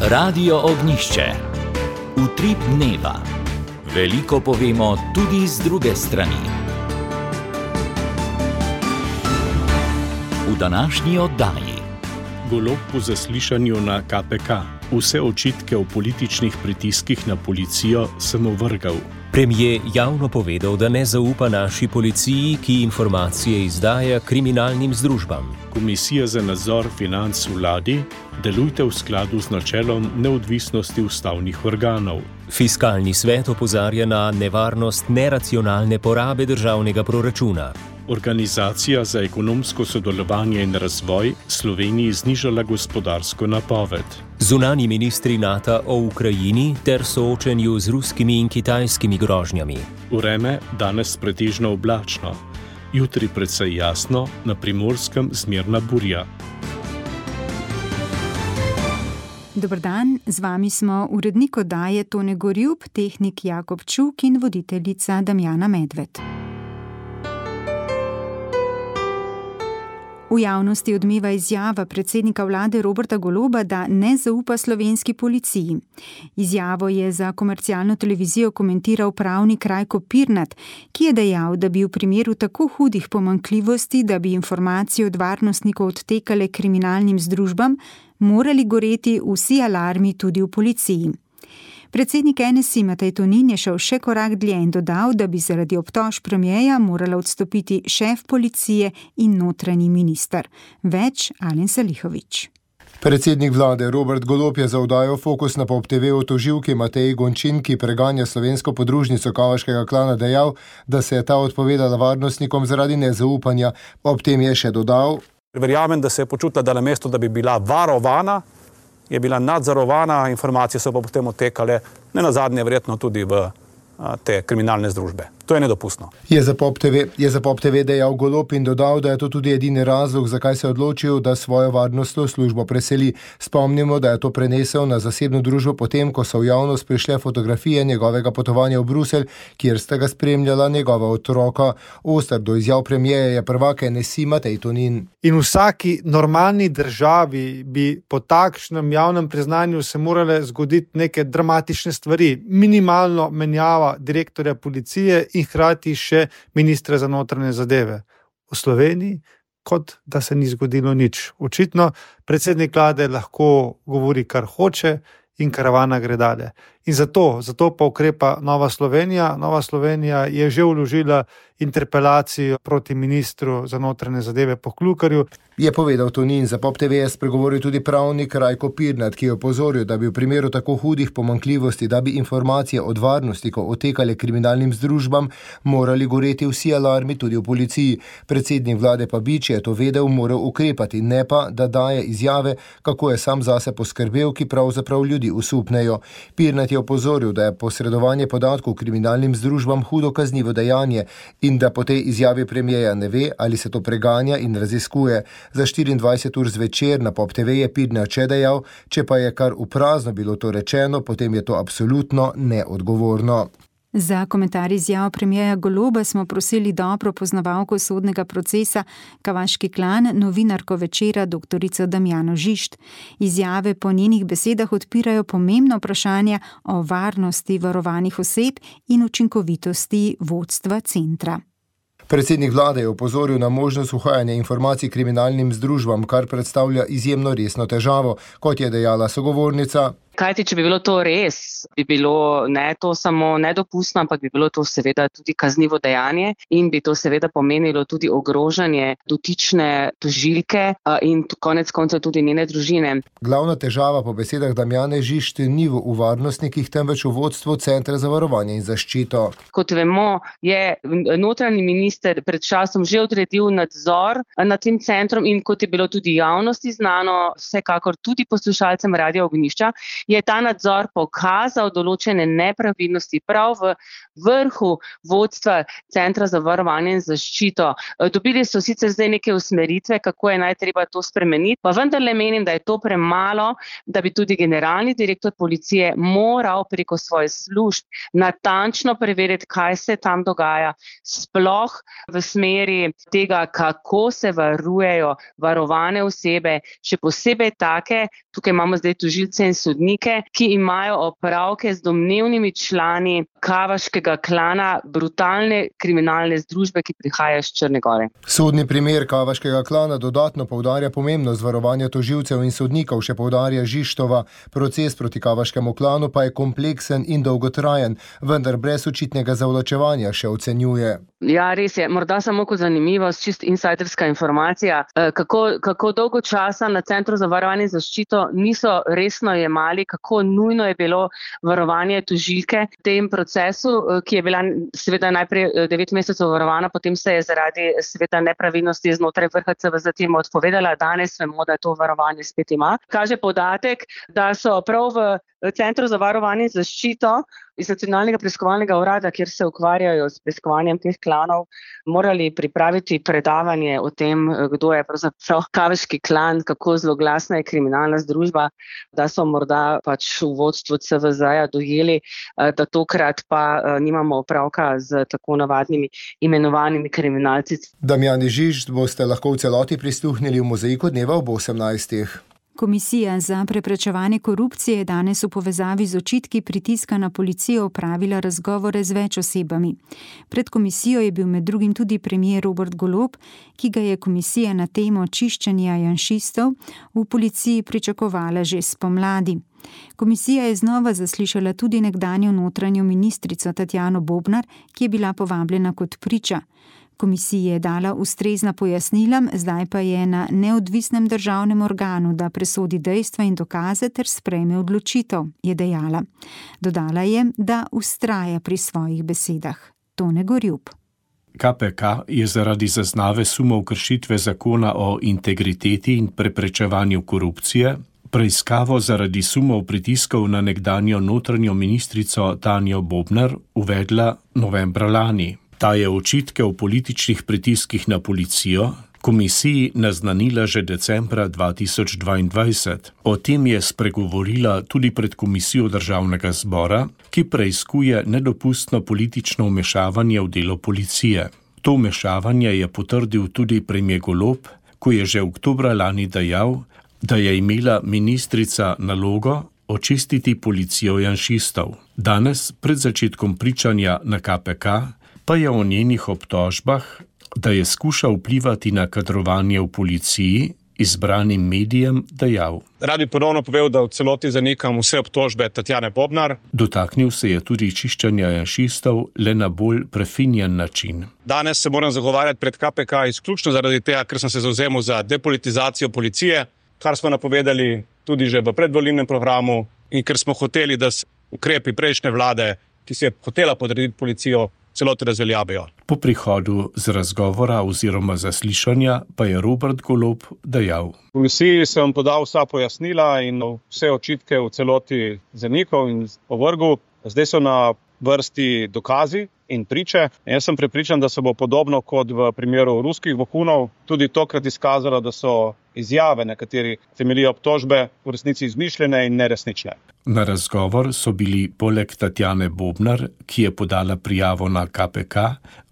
Radio Ognjišče. Utrip dneva. Veliko povemo tudi z druge strani. V današnji oddaji. Golob po zaslišanju na KPK. Vse očitke o političnih pritiskih na policijo sem ovrgal. Premier javno povedal, da ne zaupa naši policiji, ki informacije izdaja kriminalnim združbam. Komisija za nadzor financ v vladi, delujte v skladu z načelom neodvisnosti ustavnih organov. Fiskalni svet opozarja na nevarnost neracionalne porabe državnega proračuna. Organizacija za ekonomsko sodelovanje in razvoj Sloveniji znižala gospodarsko napoved. Zunanji ministri NATO o Ukrajini ter soočenju z ruskimi in kitajskimi grožnjami. Vreme danes pretežno oblačno, jutri precej jasno, na Primorskem zmerna burja. Dober dan, z vami smo urednik oddaje Tone Gorjup, tehnik Jakob Čuk in voditeljica Damjana Medved. V javnosti odmeva izjava predsednika vlade Roberta Goloba, da ne zaupa slovenski policiji. Izjavo je za komercialno televizijo komentiral pravnik Rajko Pirnat, ki je dejal, da bi v primeru tako hudih pomanjkljivosti, da bi informacije od varnostnikov odtekale kriminalnim združbam, morali goreti vsi alarmi tudi v policiji. Predsednik NSI Matej Tonin je šel še korak dlje in dodal, da bi zaradi obtožb premierja morala odstopiti šef policije in notranji minister. Več Alen Salihović. Predsednik vlade Robert Golob je za oddajo Fokus na Pop TV o tožilki Mateji Gončin, ki preganja slovensko podružnico kavaškega klana, dejal, da se je ta odpovedala varnostnikom zaradi nezaupanja. Ob tem je še dodal: Verjamem, da se je počutila, da namesto, da bi bila varovana, je bila nadzorovana, informacije so pa potem odtekale, ne nazadnje verjetno tudi v te kriminalne združbe. To je nedopustno. Je za Pop TV dejal Golob in dodal, da je to tudi edini razlog, zakaj se je odločil, da svojo varnostno službo preseli. Spomnimo, da je to prenesel na zasebno družbo potem, ko so v javnost prišle fotografije njegovega potovanja v Bruselj, kjer sta ga spremljala njegova otroka. Oster do izjav premierja je prvak NSI Matej Tonin. In v vsaki normalni državi bi po takšnem javnem priznanju se morale zgoditi neke dramatične stvari. Minimalno menjava direktorja policije in hkrati še ministra za notranje zadeve. V Sloveniji, kot da se ni zgodilo nič. Očitno predsednik vlade lahko govori, kar hoče in karavana gre dalje. In zato pa ukrepa Nova Slovenija. Nova Slovenija je že vložila interpelacijo proti ministru za notranje zadeve Poklukarju. Je povedal Tonin. Za Pop TV je spregovoril tudi pravnik Rajko Pirnat, ki je opozoril, da bi v primeru tako hudih pomanjkljivosti, da bi informacije od varnostnikov odtekale kriminalnim združbam, morali goreti vsi alarmi tudi v policiji. Predsednik vlade pa bi, če je to vedel, moral ukrepati, ne pa, da daje izjave, kako je sam zase poskrbel, ki pravzaprav ljudi usupnejo. Pirnat je opozoril, da je posredovanje podatkov kriminalnim združbam hudo kaznivo dejanje in da po tej izjavi premierja ne ve, ali se to preganja in raziskuje. Za 24 ur zvečer na Pop TV je Pirnat še dejal, če pa je kar v prazno bilo to rečeno, potem je to absolutno neodgovorno. Za komentar izjav premierja Goloba smo prosili dobro poznavalko sodnega procesa Kavaški klan, novinarko Večera dr. Damjano Žišt. Izjave po njenih besedah odpirajo pomembno vprašanje o varnosti varovanih oseb in učinkovitosti vodstva centra. Predsednik vlade je opozoril na možnost uhajanja informacij kriminalnim združbam, kar predstavlja izjemno resno težavo, kot je dejala sogovornica. Kajti, če bi bilo to res, bi bilo ne to samo nedopustno, ampak bi bilo to seveda tudi kaznivo dejanje in bi to seveda pomenilo tudi ogrožanje dotične tožilke in konec koncev tudi njene družine. Glavna težava po besedah Damjane Žišt ni v varnostnikih, temveč v vodstvu Centra za varovanje in zaščito. Kot vemo, je notranji minister pred časom že odredil nadzor nad tem centrom in kot je bilo tudi javnosti znano, vsekakor tudi poslušalcem Radia Ognjišča, je ta nadzor pokazal določene nepravilnosti prav v vrhu vodstva Centra za varovanje in zaščito. Dobili so sicer zdaj neke usmeritve, kako je najtreba to spremeniti, pa vendarle menim, da je to premalo, da bi tudi generalni direktor policije moral preko svojih služb natančno preveriti, kaj se tam dogaja, sploh v smeri tega, kako se varujejo varovane osebe, še posebej take, tukaj imamo zdaj tožilce in sodnike, ki imajo opravke z domnevnimi člani kavaškega klana, brutalne kriminalne združbe, ki prihaja iz Črne Gore. Sodni primer kavaškega klana dodatno poudarja pomembnost varovanja tožilcev in sodnikov, še poudarja Žižtova. Proces proti kavaškemu klanu pa je kompleksen in dolgotrajen, vendar brez očitnega zavlačevanja, še ocenjuje. Ja, res je. Morda samo kot zanimivost, čist insiderska informacija, kako dolgo časa na Centru za varovanje in zaščito niso resno jemali, kako nujno je bilo varovanje tožilke v tem procesu, ki je bila seveda najprej 9 mesecev varovana, potem se je zaradi seveda nepravilnosti znotraj vrha CVZ temu odpovedala. Danes vemo, da to varovanje spet ima. Kaže podatek, da so prav v Centru za varovanje in zaščito iz Nacionalnega preiskovalnega urada, kjer se ukvarjajo s preiskovanjem teh klanov, morali pripraviti predavanje o tem, kdo je pravzaprav kavaški klan, kako zloglasna je kriminalna združba, da so morda pač v vodstvu CVZ-ja dojeli, da tokrat pa nimamo opravka z tako navadnimi imenovanimi kriminalci. Damjani Žižt boste lahko v celoti prisluhnili v Mozaiku dneva ob 18. Komisija za preprečevanje korupcije je danes v povezavi z očitki pritiska na policijo opravila razgovore z več osebami. Pred komisijo je bil med drugim tudi premier Robert Golob, ki ga je komisija na temo čiščenja janšistov v policiji pričakovala že spomladi. Komisija je znova zaslišala tudi nekdanjo notranjo ministrico Tatjano Bobnar, ki je bila povabljena kot priča. Komisiji je dala ustrezna pojasnila, zdaj pa je na neodvisnem državnem organu, da presodi dejstva in dokaze ter sprejme odločitev, je dejala. Dodala je, da vztraja pri svojih besedah. Tone Gorjup. KPK je zaradi zaznave sumov kršitve zakona o integriteti in preprečevanju korupcije preiskavo zaradi sumov pritiskov na nekdanjo notranjo ministrico Tanjo Bobnar uvedla novembra lani. Ta je očitke o političnih pritiskih na policijo komisiji naznanila že decembra 2022. O tem je spregovorila tudi pred komisijo Državnega zbora, ki preiskuje nedopustno politično vmešavanje v delo policije. To vmešavanje je potrdil tudi premier Golob, ko je že oktobra lani dejal, da je imela ministrica nalogo očistiti policijo janšistov. Danes, pred začetkom pričanja na KPK, pa je o njenih obtožbah, da je skušal vplivati na kadrovanje v policiji, izbranim medijem dejal. Rad bi ponovno povedal, da v celoti zanikam vse obtožbe Tatjane Bobnar. Dotaknil se je tudi čiščenja janšistov, le na bolj prefinjen način. Danes se moram zagovarjati pred KPK izključno zaradi tega, ker sem se zavzemal za depolitizacijo policije, kar smo napovedali tudi že v predvolilnem programu in ker smo hoteli, da se ukrepi prejšnje vlade, ki si je hotela podrediti policijo, celoti razveljavijo. Po prihodu z razgovora oziroma zaslišanja pa je Robert Golob dejal. Komisiji sem podal vsa pojasnila in vse očitke v celoti zanikal in ovrgel. Zdaj so na vrsti dokazi in priče. Jaz sem prepričan, da se bo podobno kot v primeru ruskih vohunov tudi tokrat izkazalo, da so izjave, na kateri temeljijo obtožbe, v resnici izmišljene in neresnične. Na razgovor so bili poleg Tatjane Bobnar, ki je podala prijavo na KPK,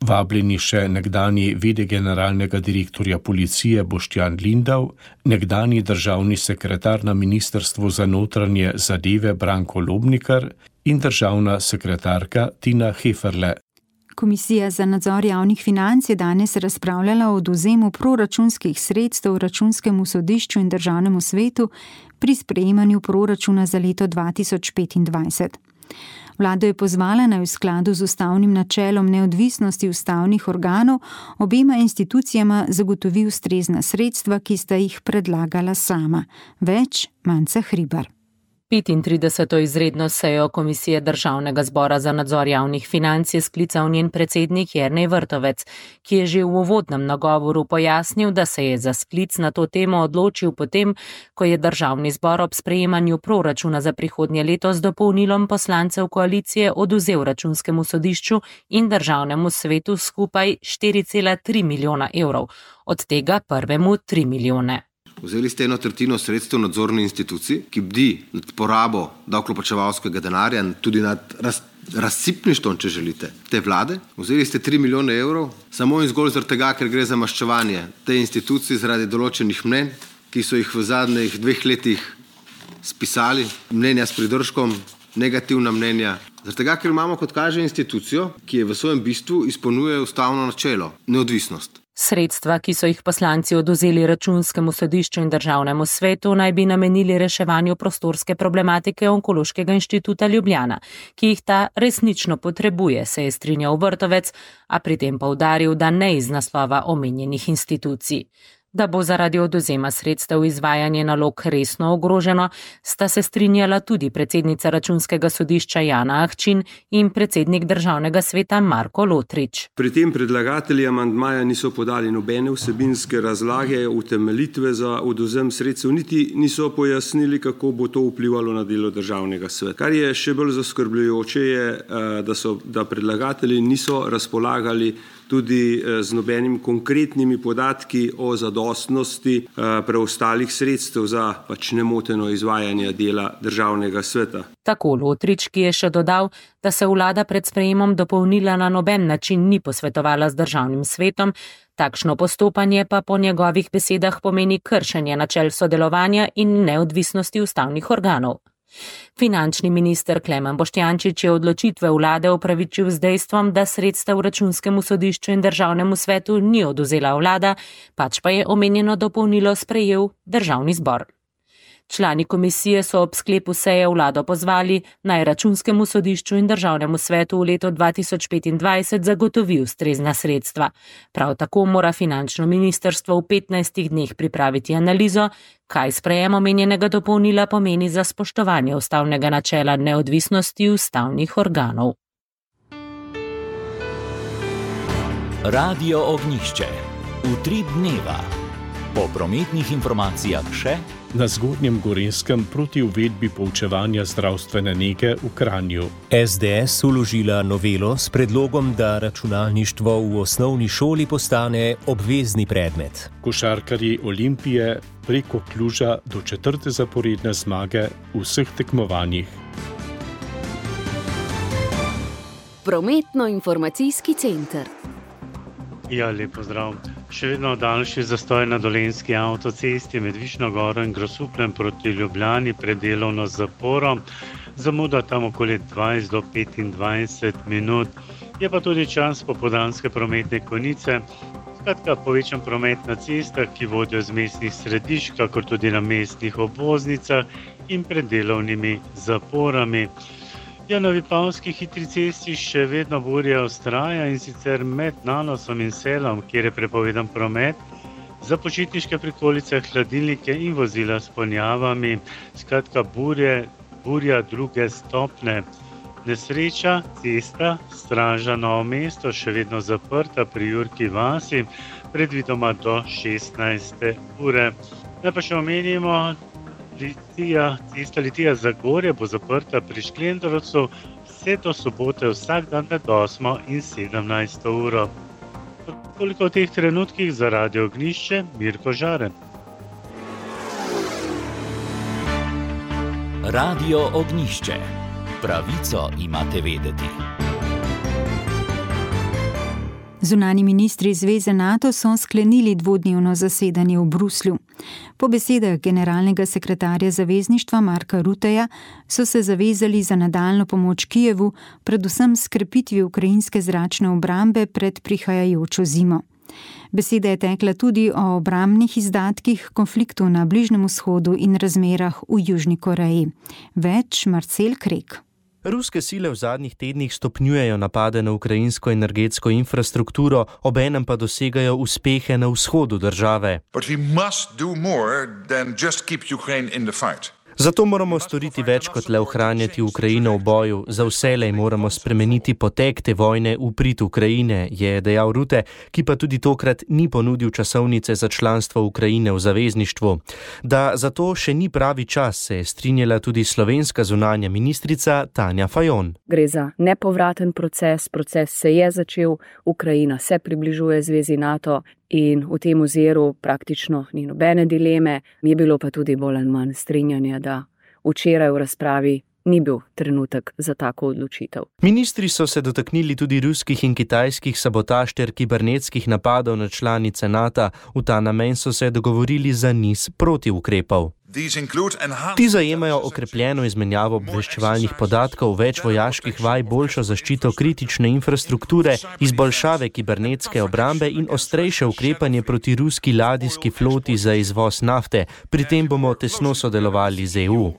vabljeni še nekdanji v.d. generalnega direktorja policije Boštjan Lindav, nekdanji državni sekretar na Ministrstvu za notranje zadeve Branko Lobnikar in državna sekretarka Tina Heferle. Komisija za nadzor javnih financ je danes razpravljala o odvzemu proračunskih sredstev Računskemu sodišču in Državnemu svetu pri sprejemanju proračuna za leto 2025. Vlado je pozvala, naj v skladu z ustavnim načelom neodvisnosti ustavnih organov obema institucijama zagotovi ustrezna sredstva, ki sta jih predlagala sama. Več Manca Hribar. 35. izredno sejo Komisije Državnega zbora za nadzor javnih financ je sklical njen predsednik Jernej Vrtovec, ki je že v uvodnem nagovoru pojasnil, da se je za sklic na to temo odločil potem, ko je Državni zbor ob sprejemanju proračuna za prihodnje leto z dopolnilom poslancev koalicije oduzel Računskemu sodišču in Državnemu svetu skupaj 4,3 milijona evrov, od tega prvemu 3 milijone. Vzeli ste 1/3 sredstev nadzorni instituciji, ki bdi nad porabo davkoplačevalskega denarja in tudi nad razsipništvom, če želite, te vlade. Vzeli ste 3 milijone evrov, samo in zgolj zaradi tega, ker gre za maščevanje te institucije zaradi določenih mnenj, ki so jih v zadnjih 2 letih spisali, mnenja s pridržkom, negativna mnenja. Zaradi tega, ker imamo, kot kaže, institucijo, ki je v svojem bistvu izpolnjuje ustavno načelo, neodvisnost. Sredstva, ki so jih poslanci oduzeli Računskemu sodišču in Državnemu svetu, naj bi namenili reševanju prostorske problematike Onkološkega inštituta Ljubljana, ki jih ta resnično potrebuje, se je strinjal Vrtovec, a pri tem poudaril, da ne iz naslova omenjenih institucij. Da bo zaradi odvzema sredstev izvajanje nalog resno ogroženo, sta se strinjala tudi predsednica Računskega sodišča Jana Ahčin in predsednik Državnega sveta Marko Lotrič. Pri tem predlagatelji amandmaja niso podali nobene vsebinske razlage, utemeljitve za odvzem sredstev, niti niso pojasnili, kako bo to vplivalo na delo Državnega sveta. Kar je še bolj zaskrbljujoče je, da predlagatelji niso razpolagali tudi z nobenim konkretnimi podatki o zadostnosti preostalih sredstev za nemoteno izvajanje dela Državnega sveta. Tako Lotrič, ki je še dodal, da se vlada pred sprejemom dopolnila na noben način ni posvetovala z Državnim svetom, takšno postopanje pa po njegovih besedah pomeni kršenje načel sodelovanja in neodvisnosti ustavnih organov. Finančni minister Klemen Boštjančič je odločitve vlade opravičil z dejstvom, da sredstev Računskemu sodišču in Državnemu svetu ni odvzela vlada, pač pa je omenjeno dopolnilo sprejel Državni zbor. Člani komisije so ob sklepu seje vlado pozvali, naj Računskemu sodišču in Državnemu svetu v letu 2025 zagotovi ustrezna sredstva. Prav tako mora finančno ministrstvo v 15 dneh pripraviti analizo, kaj sprejem omenjenega dopolnila pomeni za spoštovanje ustavnega načela neodvisnosti ustavnih organov. Radio Ognjišče. Utrip dneva. Po prometnih informacijah še na Zgornjem Gorenjskem proti uvedbi poučevanja zdravstvene nege v Kranju. SDS vložila novelo s predlogom, da računalništvo v osnovni šoli postane obvezni predmet. Košarkarji Olimpije preko Kluža do 4. zaporedne zmage v vseh tekmovanjih. Prometno-informacijski center. Ja, lep pozdrav. Še vedno daljši zastoj na Dolenjski avtocesti med Višnjo Goro in Grosupljem proti Ljubljani pred delovno zaporo. Zamuda tam okoli 20 do 25 minut. Je pa tudi čas popoldanske prometne konice. Skratka, povečan promet na cestah, ki vodijo z mestnih središč, kakor tudi na mestnih obvoznicah in pred delovnimi zaporami. Ja, na Vipavski hitri cesti še vedno burja vztraja in sicer med Nanosom in Selom, kjer je prepovedan promet, za počitniške prikolice, hladilnike in vozila s ponjavami. Skratka, burja druge stopne. Nesreča, cesta, straža Novo mesto, še vedno zaprta pri Jurki vasi, predvidoma do 16. ure. Naj pa še omenimo, cesta Litija-Zagorje bo zaprta pri Šklendrovcu vse do sobote vsak dan med 8. in 17. uro. Toliko v teh trenutkih za Radio Ognjišče, Mirko Žaren. Radio Ognjišče. Pravico imate vedeti. Zunanji ministri Zveze NATO so sklenili dvodnevno zasedanje v Bruslju. Po besedah generalnega sekretarja zavezništva Marka Rutteja so se zavezali za nadaljnjo pomoč Kijevu, predvsem s krepitvijo ukrajinske zračne obrambe pred prihajajočo zimo. Beseda je tekla tudi o obrambnih izdatkih, konfliktu na Bližnjem vzhodu in razmerah v Južni Koreji. Več Marcel Krek. Ruske sile v zadnjih tednih stopnjujejo napade na ukrajinsko energetsko infrastrukturo, obenem pa dosegajo uspehe na vzhodu države. Zato moramo storiti več kot le ohranjati Ukrajino v boju. Za vselej moramo spremeniti potek te vojne v prid Ukrajine, je dejal Rutte, ki pa tudi tokrat ni ponudil časovnice za članstvo Ukrajine v zavezništvu. Da zato še ni pravi čas, se je strinjala tudi slovenska zunanja ministrica Tanja Fajon. Gre za nepovraten proces se je začel, Ukrajina se približuje zvezi NATO in v tem oziru praktično ni nobene dileme, je bilo pa tudi bolj ali manj strinjanja, da včeraj v razpravi ni bil trenutek za tako odločitev. Ministri so se dotaknili tudi ruskih in kitajskih sabotaž ter kibernetskih napadov na članice NATO. V ta namen so se dogovorili za niz protiukrepov. Ti zajemajo okrepljeno izmenjavo obveščevalnih podatkov, več vojaških vaj, boljšo zaščito kritične infrastrukture, izboljšave kibernetske obrambe in ostrejše ukrepanje proti ruski ladijski floti za izvoz nafte. Pri tem bomo tesno sodelovali z EU.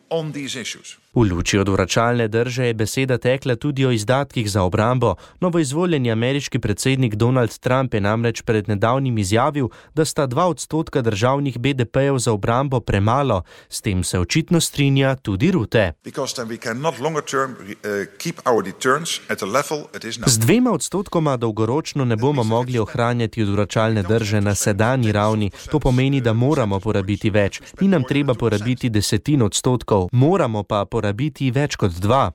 V luči odvračalne drže je beseda tekla tudi o izdatkih za obrambo. Novoizvoljeni ameriški predsednik Donald Trump je namreč pred nedavnim izjavil, da sta 2% državnih BDP-jev za obrambo premalo. S tem se očitno strinja tudi Rutte. Z 2% dolgoročno ne bomo mogli ohranjati odvračalne drže na sedanji ravni. To pomeni, da moramo porabiti več. Ni nam treba porabiti 10%, moramo pa porabiti več kot 2%.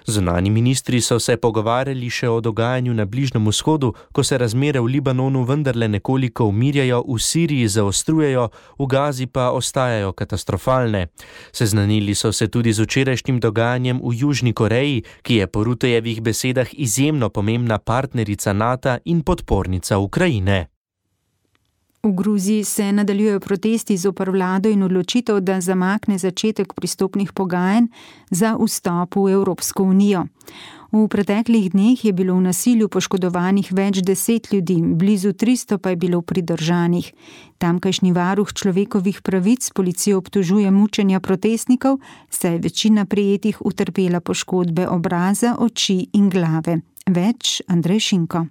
Zunanji ministri so se pogovarjali še o dogajanju na Bližnjem vzhodu, ko se razmere v Libanonu vendarle nekoliko umirjajo, v Siriji zaostrujejo, v Gazi pa ostajajo katastrofalne. Seznanili so se tudi z včerajšnjim dogajanjem v Južni Koreji, ki je po Ruttejevih besedah izjemno pomembna partnerica NATO in podpornica Ukrajine. V Gruziji se nadaljujejo protesti zoper vlado in odločitev, da zamakne začetek pristopnih pogajanj za vstop v Evropsko unijo. V preteklih dneh je bilo v nasilju poškodovanih več 10 ljudi, blizu 300 pa je bilo pridržanih. Tamkajšnji varuh človekovih pravic policijo obtožuje mučenja protestnikov, saj je večina prijetih utrpela poškodbe obraza, oči in glave. Več Andrej Šinko.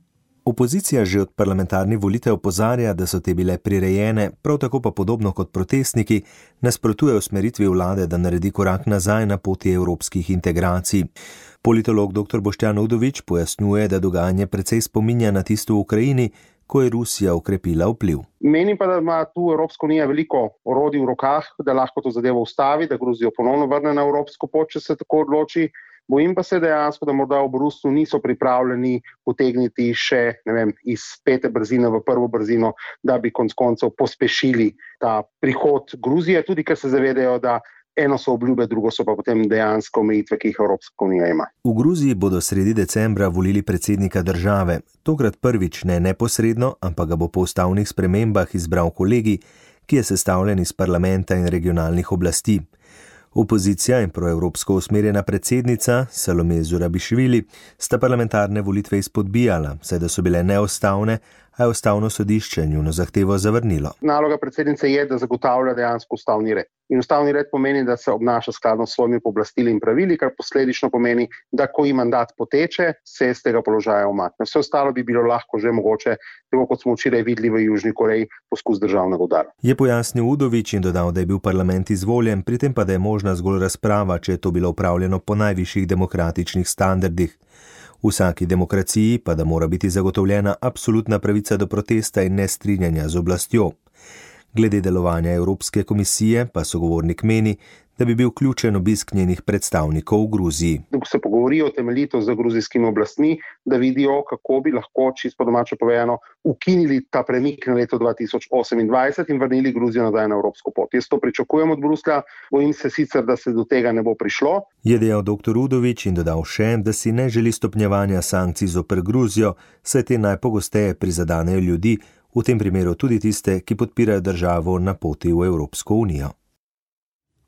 Opozicija že od parlamentarnih volitev opozarja, da so te bile prirejene, prav tako pa podobno kot protestniki, nasprotuje usmeritvi vlade, da naredi korak nazaj na poti evropskih integracij. Politolog dr. Boštjan Udovič pojasnjuje, da dogajanje precej spominja na tisto v Ukrajini, ko je Rusija okrepila vpliv. Menim pa, da ima tu Evropska unija veliko orodij v rokah, da lahko to zadevo ustavi, da Gruzijo ponovno vrne na evropsko pot, če se tako odloči. Bojim pa se dejansko, da morda v Bruslju niso pripravljeni potegniti še, iz 5. brzine v 1. brzino, da bi konec koncev pospešili ta prihod Gruzije, tudi ker se zavedajo, da eno so obljube, drugo so pa potem dejansko omejitve, ki jih Evropska unija ima. V Gruziji bodo sredi decembra volili predsednika države. Tokrat prvič ne neposredno, ampak ga bo po ustavnih spremembah izbral kolegij, ki je sestavljen iz parlamenta in regionalnih oblasti. Opozicija in proevropsko usmerjena predsednica Salome Zurabišvili sta parlamentarne volitve izpodbijala, saj da so bile neustavne, a je ustavno sodišče njuno zahtevo zavrnilo. Naloga predsednice je, da zagotavlja dejansko ustavni red. In ustavni red pomeni, da se obnaša skladno s svojimi pooblastili in pravili, kar posledično pomeni, da ko ji mandat poteče, se z tega položaja umakne. Vse ostalo bi bilo lahko že mogoče, tako kot smo včeraj videli v Južni Koreji, poskus državnega udara. Je pojasnil Udovič in dodal, da je bil parlament izvoljen, pri tem pa da je možna zgolj razprava, če je to bilo upravljeno po najvišjih demokratičnih standardih. V vsaki demokraciji pa da mora biti zagotovljena absolutna pravica do protesta in nestrinjanja z oblastjo. Glede delovanja Evropske komisije pa sogovornik meni, da bi bil ključen obisk njenih predstavnikov v Gruziji. Da se pogovorijo temeljito z gruzijskimi oblastmi, da vidijo, kako bi lahko, čisto po domače povedano, ukinili ta premik na leto 2028 in vrnili Gruzijo nazaj na evropsko pot. Jaz to pričakujem od Bruslja, bojim se sicer, da se do tega ne bo prišlo. Je dejal dr. Udovič in dodal še, da si ne želi stopnjevanja sankcij zoper Gruzijo, saj te najpogosteje prizadanejo ljudi, v tem primeru tudi tiste, ki podpirajo državo na poti v Evropsko unijo.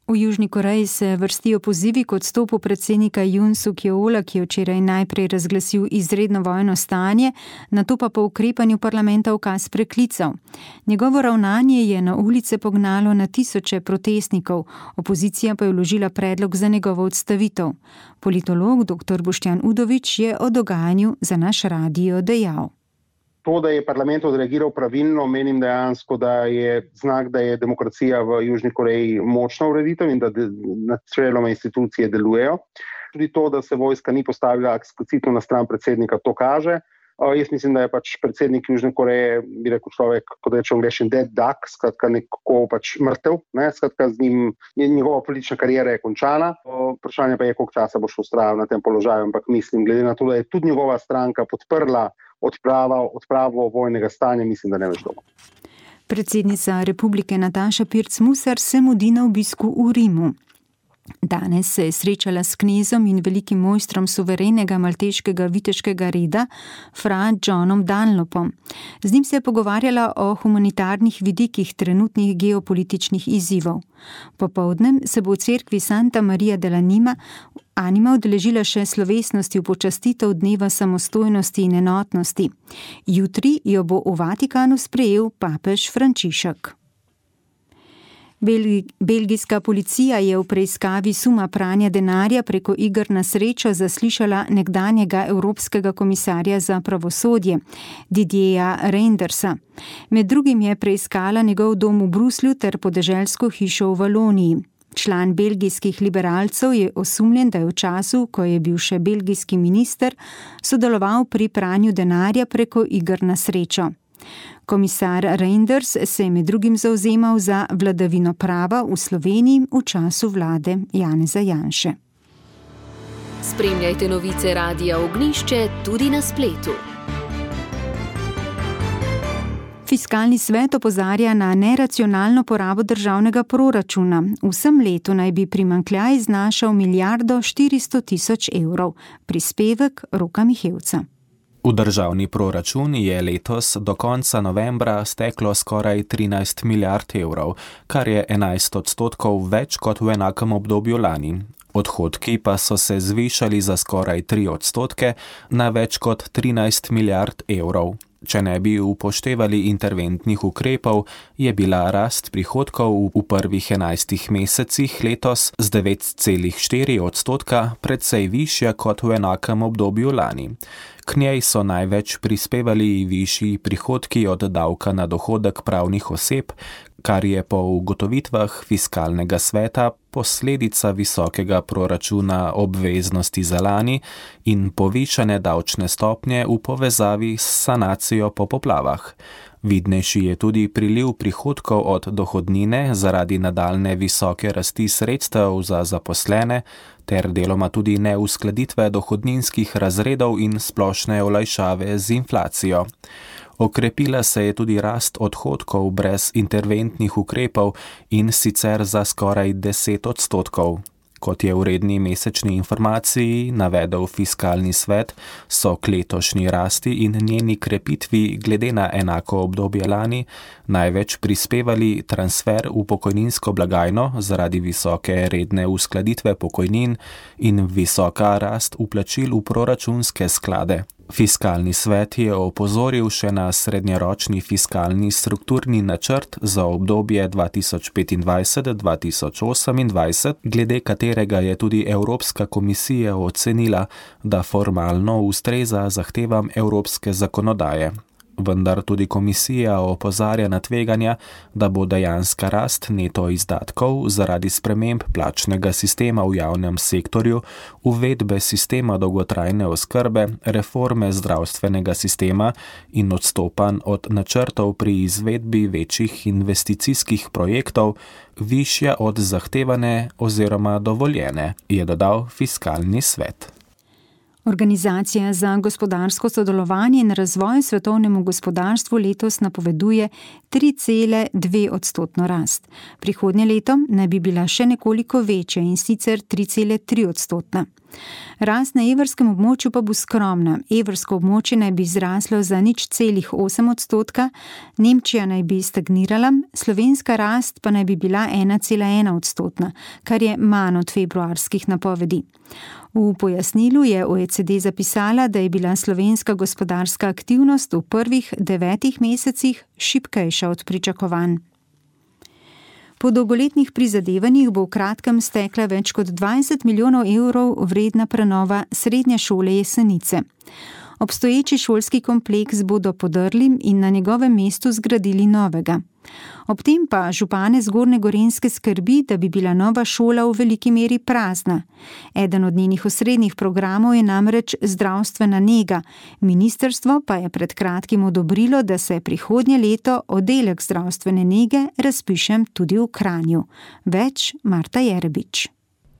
V Južni Koreji se vrstijo pozivi k odstopu predsednika Yoon Suk Yeola, ki je včeraj najprej razglasil izredno vojno stanje, nato pa po ukrepanju parlamenta ukaz preklical. Njegovo ravnanje je na ulice pognalo na tisoče protestnikov, opozicija pa je vložila predlog za njegovo odstavitev. Politolog dr. Boštjan Udovič je o dogajanju za naš radio dejal. To, da je parlament odreagiral pravilno, menim dejansko, da je znak, da je demokracija v Južni Koreji močna ureditev in da načeloma institucije delujejo. Tudi to, da se vojska ni postavila eksplicitno na stran predsednika, to kaže. Jaz mislim, da je pač predsednik Južne Koreje, bi rekel človek, kot reče angleščini, dead duck, skratka nekako pač mrtev, skratka z njim, njegova politična karijera je končana. Vprašanje pa je, koliko časa bo še vztrajal na tem položaju, ampak mislim, glede na to, da je tudi njegova stranka podprla odpravo vojnega stanja, mislim, da ne več dolgo. Predsednica Republike Nataša Pirc Musar se mudi na obisku v Rimu. Danes se je srečala s knezom in velikim mojstrom suverenega malteškega viteškega reda, fra Johnom Dunlopom. Z njim se je pogovarjala o humanitarnih vidikih trenutnih geopolitičnih izzivov. Popoldne se bo v cerkvi Santa Maria dell'Anima udeležila še slovesnosti v počastitev dneva samostojnosti in enotnosti. Jutri jo bo v Vatikanu sprejel papež Frančišek. Belgijska policija je v preiskavi suma pranja denarja preko iger na srečo zaslišala nekdanjega evropskega komisarja za pravosodje, Didierja Reyndersa. Med drugim je preiskala njegov dom v Bruslju ter podeželsko hišo v Valoniji. Član belgijskih liberalcev je osumljen, da je v času, ko je bil še belgijski minister, sodeloval pri pranju denarja preko iger na srečo. Komisar Reinders se je med drugim zavzemal za vladavino prava v Sloveniji v času vlade Janeza Janše. Spremljajte novice Radia Ognjišče tudi na spletu. Fiskalni svet opozarja na neracionalno porabo državnega proračuna. V vsem letu naj bi primanjkljaj znašal 1,400 milijarde evrov. Prispevek Roka Mihevca. V državni proračun je letos do konca novembra steklo skoraj 13 milijard evrov, kar je 11% več kot v enakem obdobju lani. Odhodki pa so se zvišali za skoraj 3% na več kot 13 milijard evrov. Če ne bi upoštevali interventnih ukrepov, je bila rast prihodkov v prvih 11 mesecih letos z 9,4% precej višja kot v enakem obdobju lani. K njej so največ prispevali višji prihodki od davka na dohodek pravnih oseb, kar je po ugotovitvah fiskalnega sveta posledica visokega proračuna obveznosti za lani in povišane davčne stopnje v povezavi s sanacijo po poplavah. Vidnejši je tudi priliv prihodkov od dohodnine zaradi nadaljne visoke rasti sredstev za zaposlene ter deloma tudi neuskladitve dohodninskih razredov in splošne olajšave z inflacijo. Okrepila se je tudi rast odhodkov brez interventnih ukrepov in sicer za skoraj 10%. Kot je v redni mesečni informaciji navedel fiskalni svet, so k letošnji rasti in njeni krepitvi glede na enako obdobje lani največ prispevali transfer v pokojninsko blagajno zaradi visoke redne uskladitve pokojnin in visoka rast vplačil v proračunske sklade. Fiskalni svet je opozoril še na srednjeročni fiskalni strukturni načrt za obdobje 2025-2028, glede katerega je tudi Evropska komisija ocenila, da formalno ustreza zahtevam evropske zakonodaje. Vendar tudi komisija opozarja na tveganja, da bo dejanska rast neto izdatkov zaradi sprememb plačnega sistema v javnem sektorju, uvedbe sistema dolgotrajne oskrbe, reforme zdravstvenega sistema in odstopanj od načrtov pri izvedbi večjih investicijskih projektov višja od zahtevane oziroma dovoljene, je dodal fiskalni svet. Organizacija za gospodarsko sodelovanje in razvoj svetovnemu gospodarstvu letos napoveduje 3,2% rast. Prihodnje leto naj bi bila še nekoliko večja in sicer 3,3%. Rast na evrskem območju pa bo skromna. Evrsko območje naj bi zraslo za 0,8%, Nemčija naj bi stagnirala, slovenska rast pa naj bi bila 1,1%, kar je manj od februarskih napovedi. V pojasnilu je OECD zapisala, da je bila slovenska gospodarska aktivnost v prvih 9 mesecih šibkejša od pričakovanj. Po dolgoletnih prizadevanjih bo v kratkem stekla več kot 20 milijonov evrov vredna prenova srednje šole Jesenice. Obstoječi šolski kompleks bodo podrli in na njegovem mestu zgradili novega. Ob tem pa župane Zgornje Gorenjske skrbi, da bi bila nova šola v veliki meri prazna. Eden od njenih osrednjih programov je namreč zdravstvena nega. Ministrstvo pa je pred kratkim odobrilo, da se prihodnje leto oddelek zdravstvene nege razpiše tudi v Kranju. Več Marta Jerebič.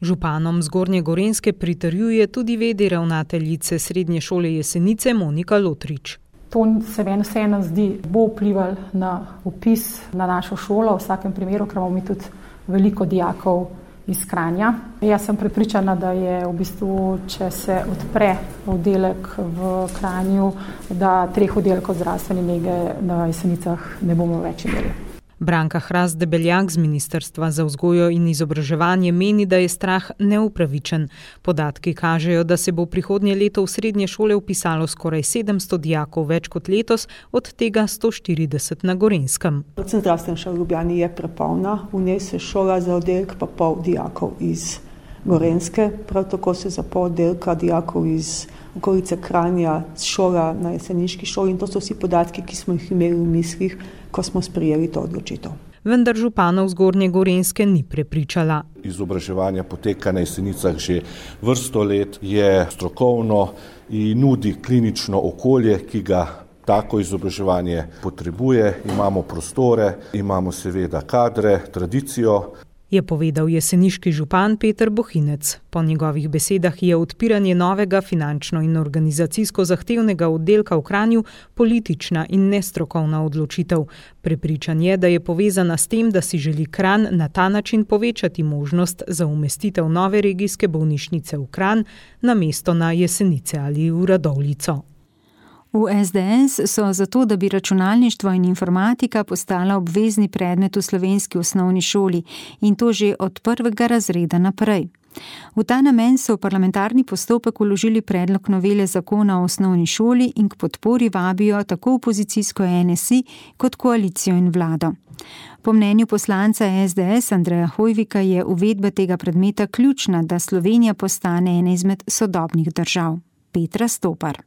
Županom Zgornje Gorenjske pritrjuje tudi v.d. ravnateljice Srednje šole Jesenice Monika Lotrič. To se meni vseeno zdi, bo vplival na vpis na našo šolo, v vsakem primeru, ker imamo mi tudi veliko dijakov iz Kranja. Jaz sem prepričana, da je v bistvu, če se odpre oddelek v Kranju, da 3 oddelkov zdravstvene nege na Jesenicah ne bomo več imeli. Branka Hrast Debeljak z Ministrstva za vzgojo in izobraževanje meni, da je strah neupravičen. Podatki kažejo, da se bo prihodnje leto v srednje šole vpisalo skoraj 700 dijakov več kot letos, od tega 140 na Gorenjskem. Predvsem zdravstvena šola v Ljubljani je prepolna, v njej se šola za oddelek pa pol dijakov iz Gorenjske, prav tako se za pol oddelka dijakov iz okolice Kranja šola na jeseniški šoli in to so vsi podatki, ki smo jih imeli v mislih, ko smo sprejeli to odločitev. Vendar županov Zgornje Gorenjske ni prepričala. Izobraževanje poteka na Jesenicah že vrsto let, je strokovno in nudi klinično okolje, ki ga tako izobraževanje potrebuje. Imamo prostore, imamo seveda kadre, tradicijo. Je povedal jeseniški župan Peter Bohinec. Po njegovih besedah je odpiranje novega finančno in organizacijsko zahtevnega oddelka v Kranju politična in nestrokovna odločitev. Prepričan je, da je povezana s tem, da si želi Kranj na ta način povečati možnost za umestitev nove regijske bolnišnice v Kranj namesto na Jesenice ali v Radovljico. V SDS so zato, da bi računalništvo in informatika postala obvezni predmet v slovenski osnovni šoli in to že od 1. razreda naprej. V ta namen so v parlamentarni postopek vložili predlog novele zakona o osnovni šoli in k podpori vabijo tako opozicijsko NSI kot koalicijo in vlado. Po mnenju poslanca SDS Andreja Hojvika je uvedba tega predmeta ključna, da Slovenija postane ena izmed sodobnih držav. Petra Stopar.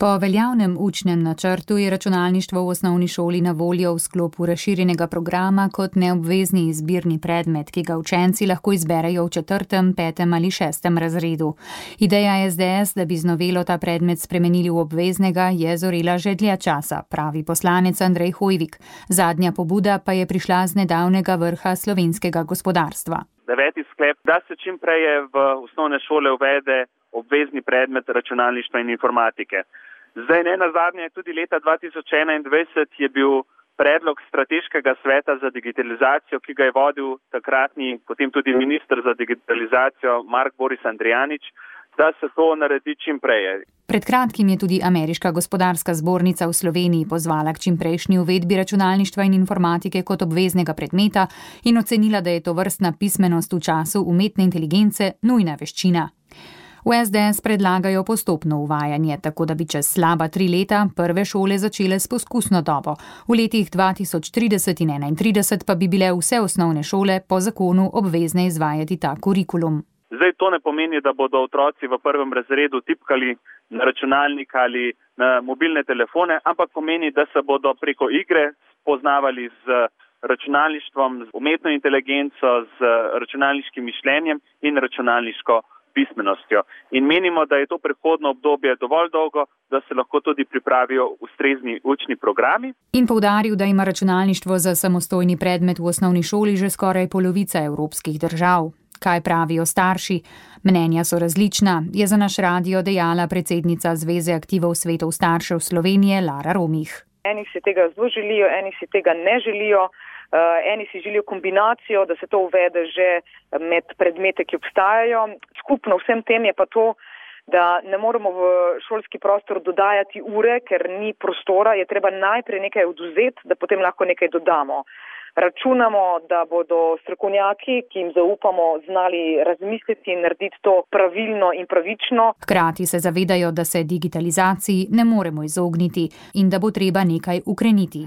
Po veljavnem učnem načrtu je računalništvo v osnovni šoli na voljo v sklopu razširjenega programa kot neobvezni izbirni predmet, ki ga učenci lahko izberejo v 4., 5. ali 6. razredu. Ideja SDS, da bi z novelo ta predmet spremenili v obveznega, je zorela že dlje časa, pravi poslanec Andrej Hojvik. Zadnja pobuda pa je prišla z nedavnega vrha slovenskega gospodarstva. 9. sklep, da se čim prej v osnovne šole uvede obvezni predmet računalništva in informatike. Zdaj ne nazadnje, tudi leta 2021 je bil predlog strateškega sveta za digitalizacijo, ki ga je vodil takratni, potem tudi minister za digitalizacijo Mark Boris Andrijanič, da se to naredi čim prej. Pred kratkim je tudi Ameriška gospodarska zbornica v Sloveniji pozvala k čimprejšnji uvedbi računalništva in informatike kot obveznega predmeta in ocenila, da je to vrstna pismenost v času umetne inteligence nujna veščina. V SDS predlagajo postopno uvajanje, tako da bi čez slaba 3 leta prve šole začele s poskusno dobo. V letih 2030 in 2031 pa bi bile vse osnovne šole po zakonu obvezne izvajati ta kurikulum. Zdaj to ne pomeni, da bodo otroci v 1. razredu tipkali na računalnik ali na mobilne telefone, ampak pomeni, da se bodo preko igre spoznavali z računalništvom, z umetno inteligenco, z računalniškim mišljenjem in računalniško pismenostjo. In menimo, da je to prehodno obdobje dovolj dolgo, da se lahko tudi pripravijo ustrezni učni programi. In poudaril, da ima računalništvo za samostojni predmet v osnovni šoli že skoraj polovica evropskih držav. Kaj pravijo starši? Mnenja so različna, je za naš radio dejala predsednica Zveze aktivov svetov staršev Slovenije Lara Romih. Eni si tega zelo želijo, eni si tega ne želijo. Eni si želijo kombinacijo, da se to uvede že med predmete, ki obstajajo. Skupno vsem tem je pa to, da ne moremo v šolski prostor dodajati ure, ker ni prostora, je treba najprej nekaj oduzeti, da potem lahko nekaj dodamo. Računamo, da bodo strokovnjaki, ki jim zaupamo, znali razmisliti in narediti to pravilno in pravično. Hkrati se zavedajo, da se digitalizaciji ne moremo izogniti in da bo treba nekaj ukreniti.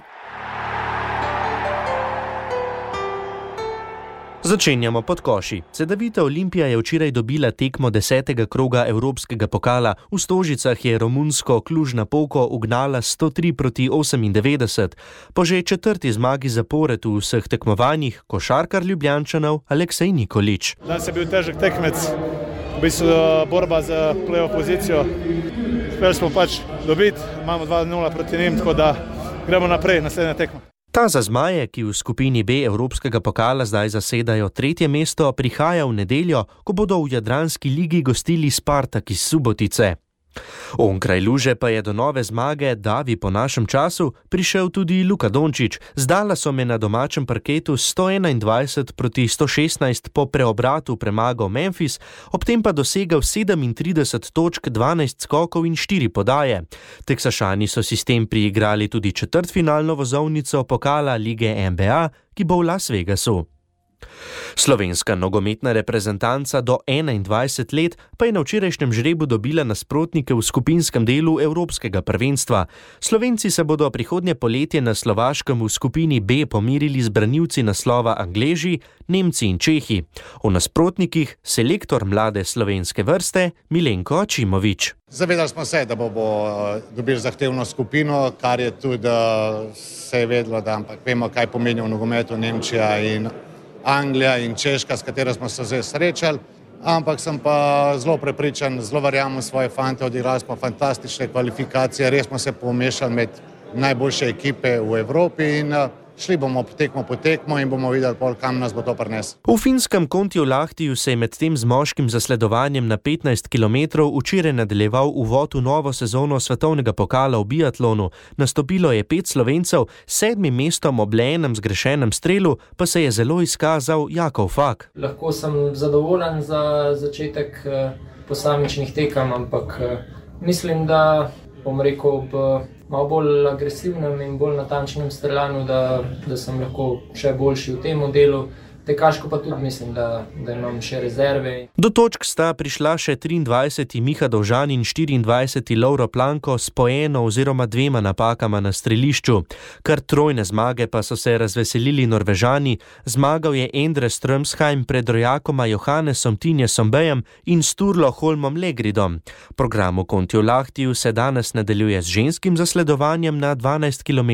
Začenjamo pod koši. Cedevita Olimpija je včeraj dobila tekmo 10. kroga Evropskega pokala. V Stožicah je romunsko Klužna Polko ugnala 103-98. Po že 4. zmagi zapored v vseh tekmovanjih košarkar Ljubljančanov Aleksej Nikolić. Danes je bil težek tekmec, v bistvu borba za play-off pozicijo. Uspeli smo dobiti, imamo 2-0 proti njim, tako da gremo naprej, naslednja tekma. Ta za zmaje, ki v skupini B Evropskega pokala zdaj zasedajo 3. mesto, prihaja v nedeljo, ko bodo v Jadranski ligi gostili Spartak iz Subotice. Onkraj luže pa je do nove zmage, davi po našem času, prišel tudi Luka Dončić. Zdala so me na domačem parketu 121-116 po preobratu premagal Memphis, ob tem pa dosegal 37 točk, 12 skokov in 4 podaje. Teksašani so sistem priigrali tudi četrtfinalno vozovnico pokala lige NBA, ki bo v Las Vegasu. Slovenska nogometna reprezentanca do 21 let pa je na včerajšnjem žrebu dobila nasprotnike v skupinskem delu Evropskega prvenstva. Slovenci se bodo prihodnje poletje na Slovaškem v skupini B pomirili z branilci naslova Angleži, Nemci in Čehi. O nasprotnikih selektor mlade slovenske vrste Milenko Ačimović. Zavedali smo se, da bomo dobili zahtevno skupino, kar je tudi se je vedelo, da ampak vemo, kaj pomeni v nogometu Nemčija in Anglija in Češka, s katero smo se zdaj srečali, ampak sem pa zelo prepričan, zelo verjamem svoje fante, odigrali smo fantastične kvalifikacije, res smo se pomešali med najboljše ekipe v Evropi in šli bomo tekmo po tekmo in bomo videli, kam nas bo to prineslo. V finskem Kontiolahtiju se je med tem z moškim zasledovanjem na 15 km včeraj nadaljeval uvod v novo sezono svetovnega pokala v biatlonu. Nastopilo je 5 Slovencev, 7. mestom ob le enem zgrešenem strelu pa se je zelo izkazal Jakov Fak. Lahko sem zadovoljen za začetek posamičnih tekem, ampak mislim, da bom rekel ob malo bolj agresivnem in bolj natančnem streljanju, da sem lahko še boljši v tem delu. Tekaško pa tudi mislim, da imam še rezerve. Do točk sta prišla še 23. Miha Dovžan in 24. Lovro Planko s po eno oziroma 2 napakama na strelišču. Kar trojne zmage pa so se razveselili Norvežani. Zmagal je Endre Strømsheim pred rojakoma Johannesom Tinjesom Bejem in Sturlo Holmom Legridom. Program v Kontiolahtiju se danes nadaljuje z ženskim zasledovanjem na 12,5 km,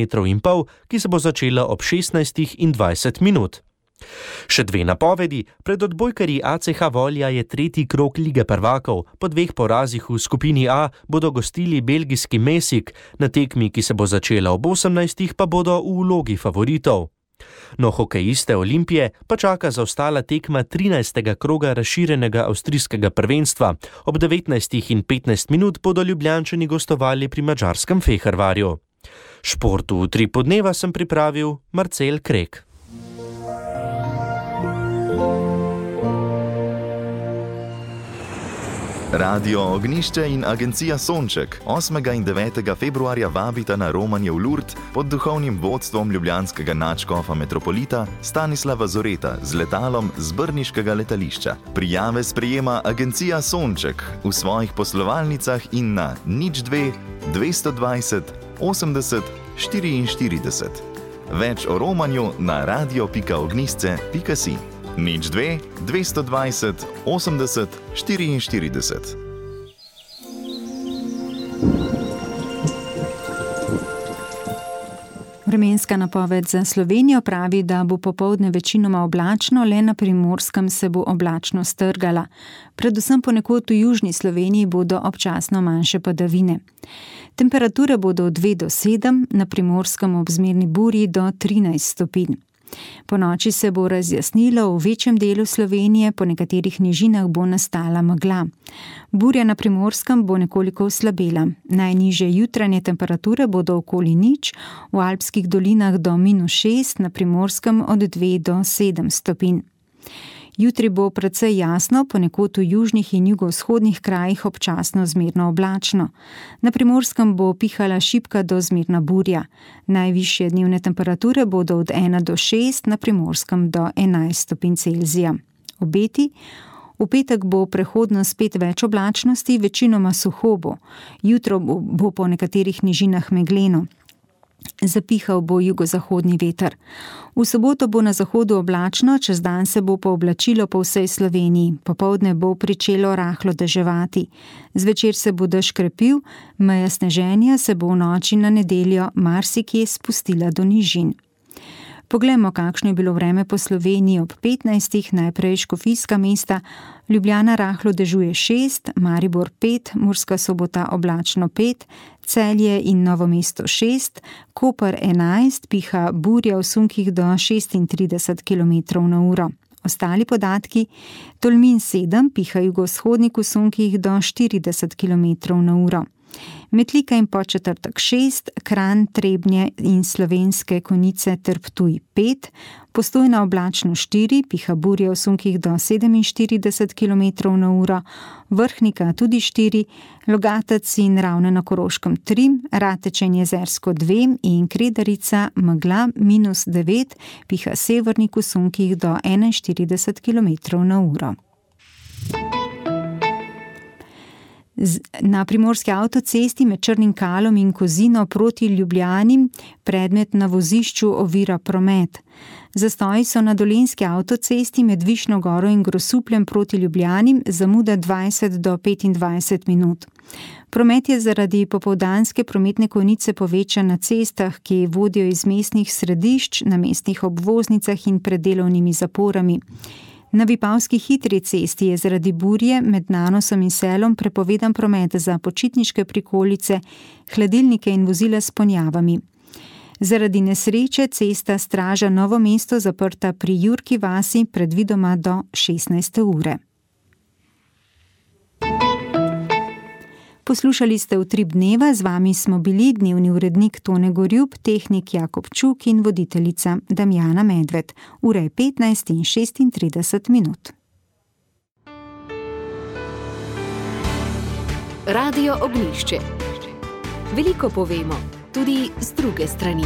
ki se bo začela ob 16:20. Še 2 napovedi. Pred odbojkarji ACH Volja je 3. krog Lige prvakov. Po 2 porazih v skupini A bodo gostili belgijski Mesik. Na tekmi, ki se bo začela ob 18, pa bodo v vlogi favoritov. No, hokejiste Olimpije pa čaka zaostala tekma 13. kroga razširjenega avstrijskega prvenstva. Ob 19:15 bodo Ljubljančani gostovali pri madžarskem Fehervarju. Športu v Utripu dneva sem pripravil Marcel Krek. Radio Ognišče in agencija Sonček 8. in 9. februarja vabita na romanje v Lourdes pod duhovnim vodstvom ljubljanskega nadškofa metropolita Stanislava Zoreta z letalom z brniškega letališča. Prijave sprejema agencija Sonček v svojih poslovalnicah in na 02 220 80 44. Več o romanju na radio.ognisce.si. 02 220 80 44. Vremenska napoved za Slovenijo pravi, da bo popoldne večinoma oblačno, le na Primorskem se bo oblačnost strgala. Predvsem ponekod v južni Sloveniji bodo občasno manjše padavine. Temperature bodo od 2 do 7, na Primorskem ob zmerni burji do 13 stopinj. Po noči se bo razjasnilo v večjem delu Slovenije, po nekaterih nižinah bo nastala megla. Burja na Primorskem bo nekoliko oslabela. Najnižje jutranje temperature bodo okoli 0, v alpskih dolinah do -6, na Primorskem od 2 do 7 stopinj. Jutri bo precej jasno, ponekod v južnih in jugovzhodnih krajih občasno zmerno oblačno. Na Primorskem bo pihala šibka do zmerna burja. Najvišje dnevne temperature bodo od 1 do 6, na Primorskem do 11 stopinj Celzija. Obeti. V petek bo prehodno spet več oblačnosti, večinoma suho bo. Jutro bo po nekaterih nižinah megleno. Zapihal bo jugozahodni veter. V soboto bo na zahodu oblačno, čez dan se bo pooblačilo po vsej Sloveniji. Popoldne bo pričelo rahlo deževati. Zvečer se bo dež krepil, meja sneženja se bo v noči na nedeljo marsikje spustila do nižin. Poglejmo, kakšno je bilo vreme po Sloveniji ob 15. Najprej Škofijska mesta. Ljubljana rahlo dežuje 6, Maribor 5, Murska Sobota oblačno 5, Celje in Novo mesto 6, Koper 11, piha burja v sunkih do 36 km/h. Ostali podatki: Tolmin 7, piha jugovzhodnik v sunkih do 40 km/h. Metlika in Podčetrtek 6, Kranj, Trebnje in Slovenske Konjice ter Ptuj 5, Postojna oblačno 4, piha burja v sunkih do 47 km/h, Vrhnika tudi 4, Logatec in Ravne na Koroškem 3, Rateče in Jezersko 2 in Kredarica megla -9, piha severnik v sunkih do 41 km/h. Na primorski avtocesti med Črnim Kalom in Kozino proti Ljubljani predmet na vozišču ovira promet. Zastoji so na Dolenjski avtocesti med Višnjo Goro in Grosupljem proti Ljubljani, zamuda 20 do 25 minut. Promet je zaradi popoldanske prometne konice povečan na cestah, ki vodijo iz mestnih središč, na mestnih obvoznicah in pred delovnimi zaporami. Na Vipavski hitri cesti je zaradi burje med Nanosom in Selom prepovedan promet za počitniške prikolice, hladilnike in vozila s ponjavami. Zaradi nesreče cesta Straža Novo mesto zaprta pri Jurki vasi predvidoma do 16. ure. Poslušali ste Utrip dneva, z vami smo bili dnevni urednik Tone Gorjup, tehnik Jakob Čuk in voditeljica Damjana Medved. Ura je 15:36 minut. Radio Ognjišče. Veliko povemo, tudi z druge strani.